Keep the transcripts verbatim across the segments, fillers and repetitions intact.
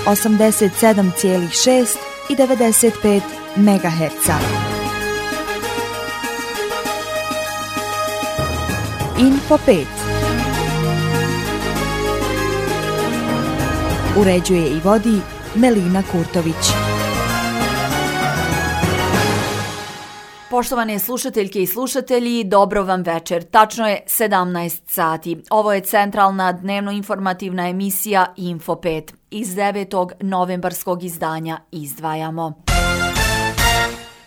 osamdeset sedam zarez šest i devedeset pet megaherca. Info pet. Uređuje i vodi Melina Kurtović. Poštovane slušateljke i slušatelji, dobro vam večer. Tačno je sedamnaest sati. Ovo je centralna dnevno-informativna emisija Info pet. Iz devetog novembarskog izdanja izdvajamo.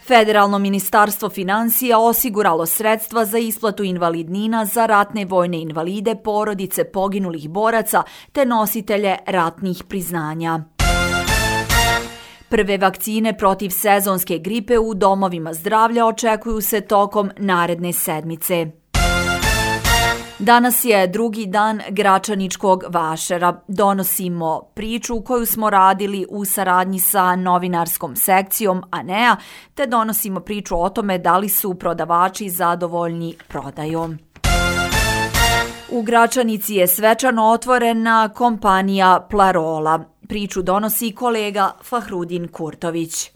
Federalno ministarstvo finansija osiguralo sredstva za isplatu invalidnina za ratne vojne invalide, porodice poginulih boraca te nositelje ratnih priznanja. Prve vakcine protiv sezonske gripe u domovima zdravlja očekuju se tokom naredne sedmice. Danas je drugi dan Gračaničkog vašara. Donosimo priču koju smo radili u saradnji sa novinarskom sekcijom A N E A, te donosimo priču o tome da li su prodavači zadovoljni prodajom. U Gračanici je svečano otvorena kompanija Plarola. Priču donosi kolega Fahrudin Kurtović.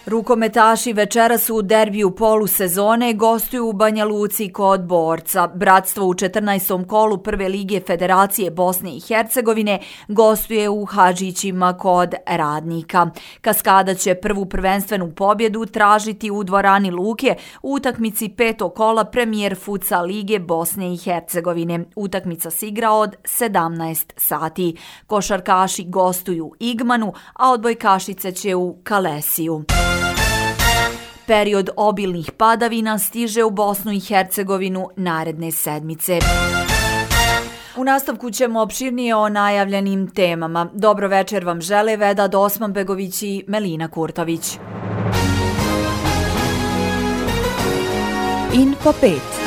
Rukometaši večeras u derbiju polusezone gostuju u Banja Luci kod Borca. Bratstvo u četrnaestom kolu Prve lige Federacije Bosne i Hercegovine gostuje u Hadžićima kod Radnika. Kaskada će prvu prvenstvenu pobjedu tražiti u dvorani Luke u utakmici petog kola Premijer Futsal lige Bosne i Hercegovine. Utakmica se igra od sedamnaest sati. Košarkaši gostuju Igmanu, a odbojkašice će u Kalesiju. Period obilnih padavina stiže u Bosnu i Hercegovinu naredne sedmice. U nastavku ćemo opširnije o najavljenim temama. Dobro večer vam žele Vedad Osmanbegović i Melina Kurtović. Info pet.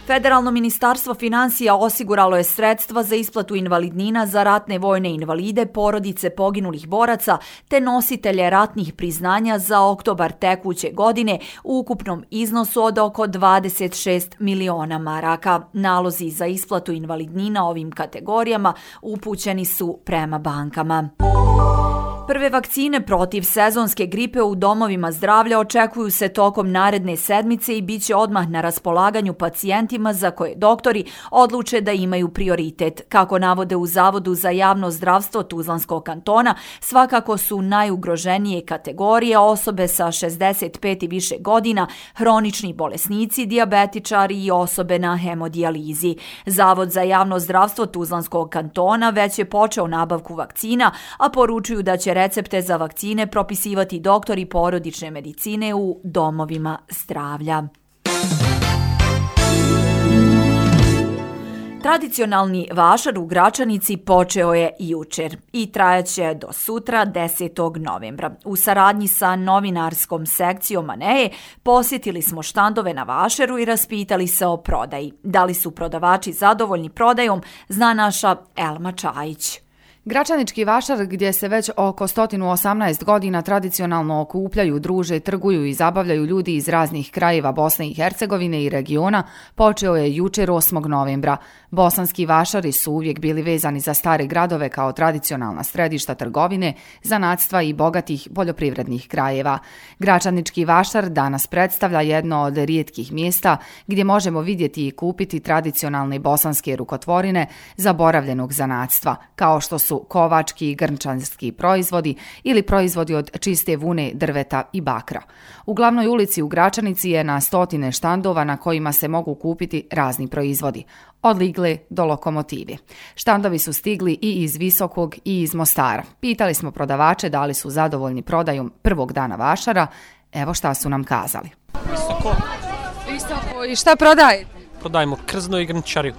Federalno ministarstvo finansija osiguralo je sredstva za isplatu invalidnina za ratne vojne invalide, porodice poginulih boraca te nositelje ratnih priznanja za oktobar tekuće godine u ukupnom iznosu od oko dvadeset šest miliona maraka. Nalozi za isplatu invalidnina ovim kategorijama upućeni su prema bankama. Prve vakcine protiv sezonske gripe u domovima zdravlja očekuju se tokom naredne sedmice i bit će odmah na raspolaganju pacijentima za koje doktori odluče da imaju prioritet. Kako navode u Zavodu za javno zdravstvo Tuzlanskog kantona, svakako su najugroženije kategorije osobe sa šezdeset pet i više godina, hronični bolesnici, dijabetičari i osobe na hemodijalizi. Zavod za javno zdravstvo Tuzlanskog kantona već je počeo nabavku vakcina, a poručuju da će recepte za vakcine propisivati doktori porodične medicine u domovima zdravlja. Tradicionalni vašar u Gračanici počeo je jučer i trajaće do sutra desetog novembra. U saradnji sa novinarskom sekcijom A N E A posjetili smo štandove na vašaru i raspitali se o prodaji. Da li su prodavači zadovoljni prodajom, zna naša Elma Čajić. Gračanički vašar, gdje se već oko sto osamnaest godina tradicionalno okupljaju, druže, trguju i zabavljaju ljudi iz raznih krajeva Bosne i Hercegovine i regiona, počeo je jučer osmog novembra. Bosanski vašari su uvijek bili vezani za stare gradove kao tradicionalna središta trgovine, zanatstva i bogatih poljoprivrednih krajeva. Gračanički vašar danas predstavlja jedno od rijetkih mjesta gdje možemo vidjeti i kupiti tradicionalne bosanske rukotvorine zaboravljenog zanatstva, kao što su kovački i grnčanski proizvodi ili proizvodi od čiste vune, drveta i bakra. U glavnoj ulici u Gračanici je na stotine štandova na kojima se mogu kupiti razni proizvodi, od ligle do lokomotive. Štandovi su stigli i iz Visokog i iz Mostara. Pitali smo prodavače da li su zadovoljni prodajom prvog dana vašara. Evo šta su nam kazali. Visoko. Visoko. I šta prodajete? Prodajemo krzno i grnčariju.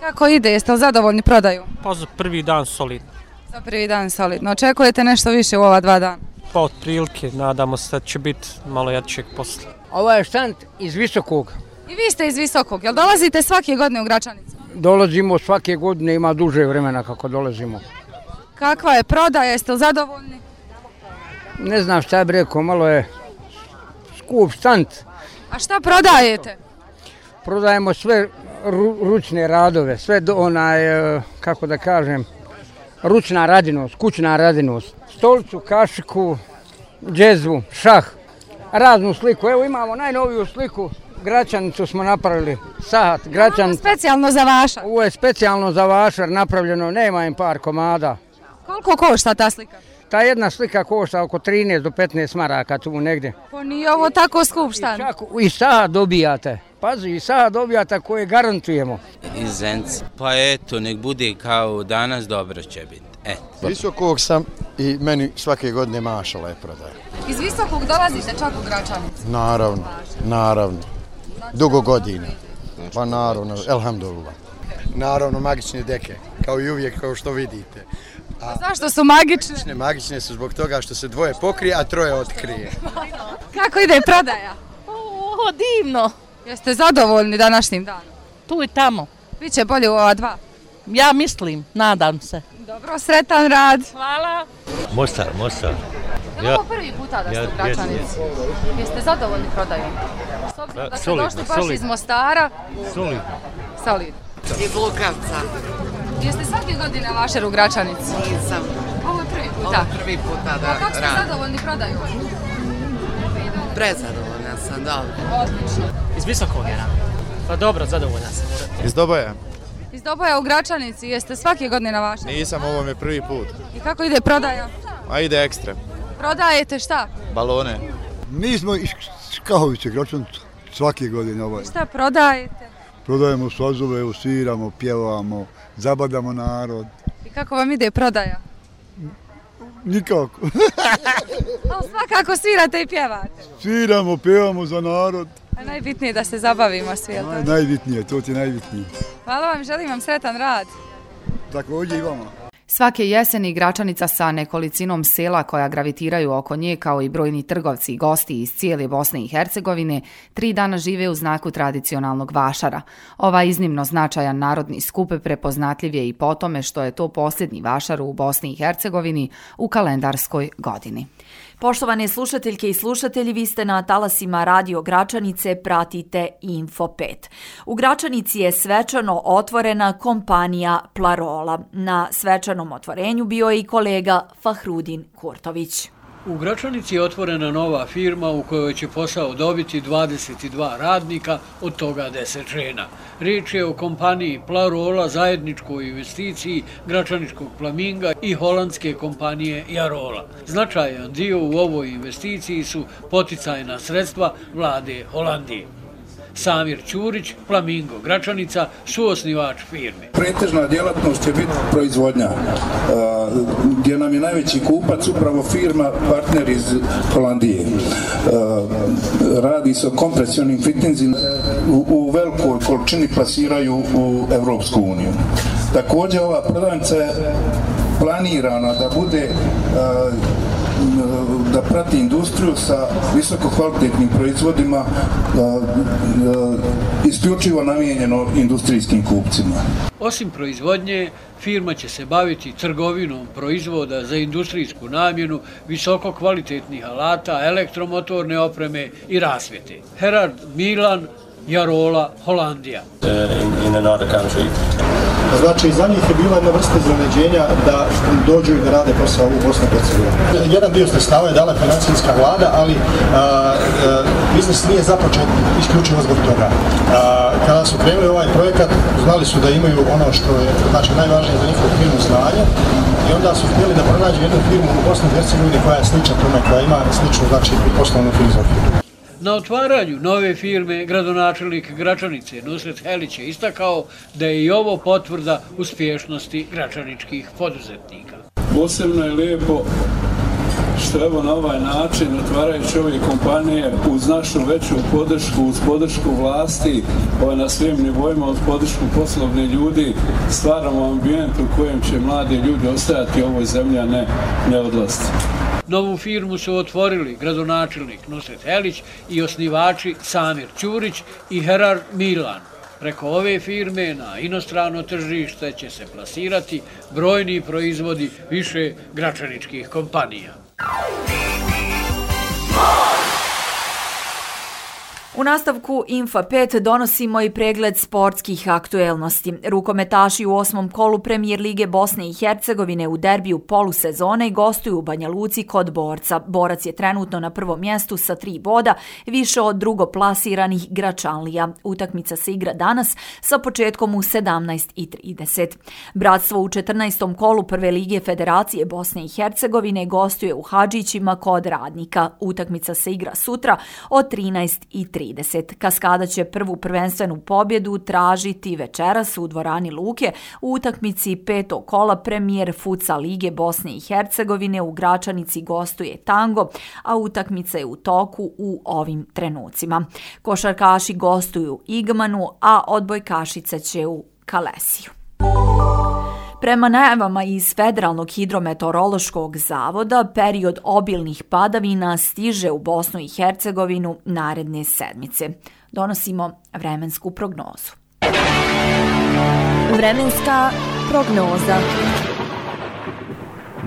Kako ide? Jeste li zadovoljni prodaju? Pa za prvi dan solidno. Za prvi dan solidno. Očekujete nešto više u ova dva dana? Pa od prilike, nadamo se da će biti malo jačeg posla. Ovo je štand iz Visokog. I vi ste iz Visokog. Jel dolazite svake godine u Gračanicu? Dolazimo svake godine, ima duže vremena kako dolazimo. Kakva je prodaja? Jeste li zadovoljni? Ne znam šta bi rekao, malo je skup štand. A šta prodajete? Prodajemo sve ru, ručne radove, sve do onaj, kako da kažem, ručna radinost, kućna radinost. Stolicu, kašiku, džezvu, šah, raznu sliku. Evo imamo najnoviju sliku, Gračanicu smo napravili, sahat, Gračanicu. Specijalno za vašar? Ovo je specijalno za vašar napravljeno, nema im par komada. Koliko košta ta slika? Ta jedna slika košta oko trinaest do petnaest maraka tu negdje. Pa nije ovo tako skup štan. I, čak, i sahat dobijate, pazi, i sahat dobijate koje garantujemo. Iz Zenca. Pa eto, nek bude kao danas, dobro će biti. Eto. Visokog sam i meni svake godine mašala je prodaja. Iz Visokog dolazite čak u Gračanicu? Naravno, naravno. Dugo godina. Pa naravno, elhamdulillah. Naravno, magične deke, kao i uvijek, kao što vidite. A, a zašto su magične? Magične, magične su zbog toga što se dvoje pokrije, a troje otkrije. Kako ide prodaja? O, divno. Jeste zadovoljni današnjim danom? Tu i tamo. Biće bolje u ova dva? Ja mislim, nadam se. Dobro, sretan rad. Hvala. Mostar, Mostar. Je li ovo prvi puta da ste u Gračanici? Jeste zadovoljni prodajom? S obzirom da ste došli baš iz Mostara? Solidno. Solidno. Iz Lukavca. Jeste svake godine vašar u Gračanici? Nisam. Ovo je prvi puta? Ovo je prvi puta da radim. A kako ste zadovoljni prodajom? Prezadovoljna sam, dobro. Odlično. Iz Visokog je nam. Pa dobro, zadovoljna sam. Iz Doboja. Iz Doboja u Gračanici, jeste svake godine na vašem? Nisam, ovo mi je prvi put. I kako ide prodaja? A ide ekstra. Prodajete šta? Balone. Mi smo iz Škahovice, Gračanicu, svake godine ovaj. Šta prodajete? Prodajemo sazove, sviramo, pjevamo, zabadamo narod. I kako vam ide prodaja? Nikako. Ali svakako svirate i pjevate. Sviramo, pjevamo za narod. A najbitnije je da se zabavimo svi, jel to? Naj, najbitnije, to ti je najbitnije. Hvala vam, želim vam sretan rad. Također i vama. Svake jeseni Gračanica sa nekolicinom sela koja gravitiraju oko nje, kao i brojni trgovci i gosti iz cijele Bosne i Hercegovine, tri dana žive u znaku tradicionalnog vašara. Ovaj iznimno značajan narodni skup prepoznatljiv je i po tome što je to posljednji vašar u Bosni i Hercegovini u kalendarskoj godini. Poštovane slušateljke i slušatelji, vi ste na talasima Radio Gračanice, pratite Info pet. U Gračanici je svečano otvorena kompanija Plarola. Na svečanom otvorenju bio je i kolega Fahrudin Kurtović. U Gračanici je otvorena nova firma u kojoj će posao dobiti dvadeset dva radnika, od toga deset žena. Riječ je o kompaniji Plarola, zajedničkoj investiciji Gračaničkog Flaminga i holandske kompanije Jarola. Značajan dio u ovoj investiciji su poticajna sredstva vlade Holandije. Samir Ćurić, Flamingo Gračanica, suosnivač firme. Pretežna djelatnost će biti proizvodnja, gdje nam je najveći kupac upravo firma partner iz Holandije. Radi se o kompresionim fittingzima, u velikoj količini plasiraju u Evropsku uniju. Također ova prodavnica je planirana da bude da prati industriju sa visoko kvalitetnim proizvodima, isključivo namijenjeno industrijskim kupcima. Osim proizvodnje, firma će se baviti trgovinom proizvoda za industrijsku namjenu, visoko kvalitetnih alata, elektromotorne opreme i rasvjete. Herard Milan, Jarola, Holandija. In, in another country. Znači, za njih je bila jedna vrsta iznenađenja da dođu i da rade posao u Bosni i Hercegovini. Jedan dio sredstava je dala financijska vlada, ali a, a, biznis nije započet isključivo zbog toga. A, kada su krenuli ovaj projekat, znali su da imaju ono što je znači, najvažnije za njihovu firmu znanje i onda su htjeli da pronađu jednu firmu u Bosni i Hercegovini koja je slična tome, koja ima sličnu znači, poslovnu filozofiju. Na otvaranju nove firme gradonačelnik Gračanice Nusret Helić je istakao da je i ovo potvrda uspješnosti gračaničkih poduzetnika. Posebno je lijepo što evo na ovaj način, otvarajući ove kompanije uz našu veću podršku, uz podršku vlasti, na svim nivoima, uz podršku poslovnih ljudi, stvaramo ambijent u kojem će mladi ljudi ostajati u ovoj zemlji, a ne, ne odlaziti. Novu firmu su otvorili gradonačelnik Nusret Helić i osnivači Samir Ćurić i Herard Milan. Preko ove firme na inostrano tržište će se plasirati brojni proizvodi više gračaničkih kompanija. U nastavku Infa pet donosimo i pregled sportskih aktuelnosti. Rukometaši u osmom kolu Premijer Lige Bosne i Hercegovine u derbiju polusezone gostuju u Banja Luci kod Borca. Borac je trenutno na prvom mjestu sa tri boda, više od drugoplasiranih Gračanlija. Utakmica se igra danas sa početkom u sedamnaest i trideset. Bratstvo u četrnaestom kolu Prve lige Federacije Bosne i Hercegovine gostuje u Hadžićima kod Radnika. Utakmica se igra sutra od trinaest i trideset. Kaskada će prvu prvenstvenu pobjedu tražiti večeras u dvorani Luke u utakmici petog kola Premijer Futsal lige Bosne i Hercegovine. U Gračanici gostuje Tango, a utakmica je u toku u ovim trenucima. Košarkaši gostuju Igmanu, a odbojkašice će u Kalesiju. Prema najavama iz Federalnog hidrometeorološkog zavoda, period obilnih padavina stiže u Bosnu i Hercegovinu naredne sedmice. Donosimo vremensku prognozu. Vremenska prognoza.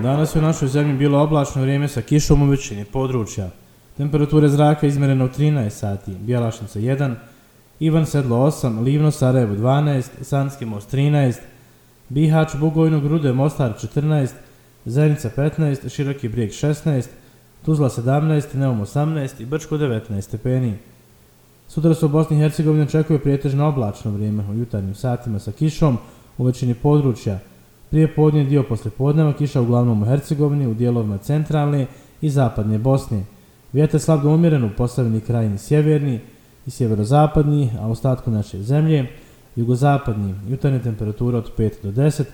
Danas je u našoj zemlji bilo oblačno vrijeme sa kišom u većini područja. Temperature zraka izmjerena u trinaest sati, Bjelašnica jedan, Ivan Sedlo osam, Livno Sarajevo dvanaest, Sanski Most trinaest, Bihać, Bugojno, Grude, Mostar četrnaest, Zenica petnaest, Široki Brijeg šesnaest, Tuzla sedamnaest, Neum osamnaest i Brčko devetnaest stepeni. Sutra se u Bosni i Hercegovini očekuje prijetežno oblačno vrijeme u jutarnjim satima sa kišom u većini područja. Prije podne dio posle podneva kiša uglavnom u Hercegovini, u dijelovima centralne i zapadne Bosne. Vjetar slab do umjeren u Posavini krajini sjeverni i sjeverozapadni, a u ostatku naše zemlje jugozapadni. Jutarnje temperatura od pet do deset,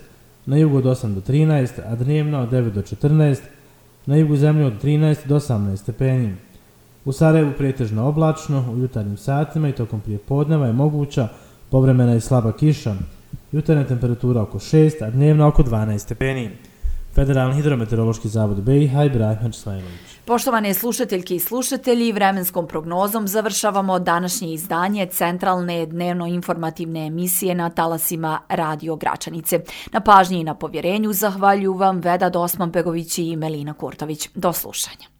na jugu od osam do trinaest, a dnevna od devet do četrnaest, na jugu zemlje od trinaest do osamnaest stepeni. U Sarajevu pretežno oblačno, u jutarnjim satima i tokom prije podneva je moguća povremena i slaba kiša. Jutarnja temperatura oko šest, a dnevna oko dvanaest stepeni. Federalni hidrometeorološki zavod B i H Ibrahim Hadžisvajlović. Poštovane slušateljke i slušatelji, vremenskom prognozom završavamo današnje izdanje centralne dnevno-informativne emisije na talasima Radio Gračanice. Na pažnji i na povjerenju zahvaljuju vam Veda Dosman-Begović i Melina Kurtović. Do slušanja.